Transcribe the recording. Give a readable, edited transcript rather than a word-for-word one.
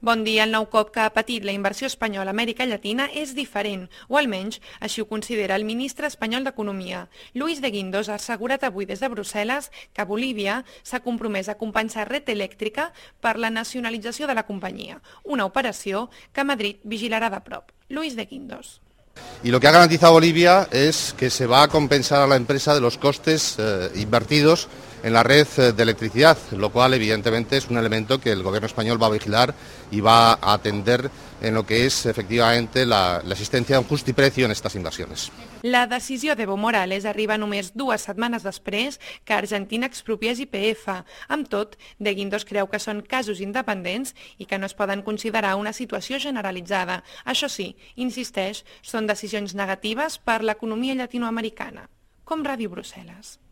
Bon dia. El nou cop que ha patit la inversió espanyola a Amèrica Llatina és diferent, o almenys així ho considera el ministre espanyol d'Economia. Luis de Guindos ha assegurat avui des de Brussel·les que Bolívia s'ha compromès a compensar Red Eléctrica per la nacionalització de la companyia, una operació que Madrid vigilarà de prop. Luis de Guindos. Y lo que ha garantizado Bolivia es que se va a compensar a la empresa de los costes invertidos en la red de electricidad, lo cual evidentemente es un elemento que el gobierno español va a vigilar y va a atender en lo que es efectivamente la existencia de un justiprecio en estas inversiones. La decisió d'Evo Morales arriba només 2 setmanes després que Argentina expropiés YPF. Amb tot, De Guindos creu que són casos independents i que no es poden considerar una situació generalitzada. Això sí, insisteix, són decisions negatives per l'economia llatinoamericana. Com Ràdio Brussel·les.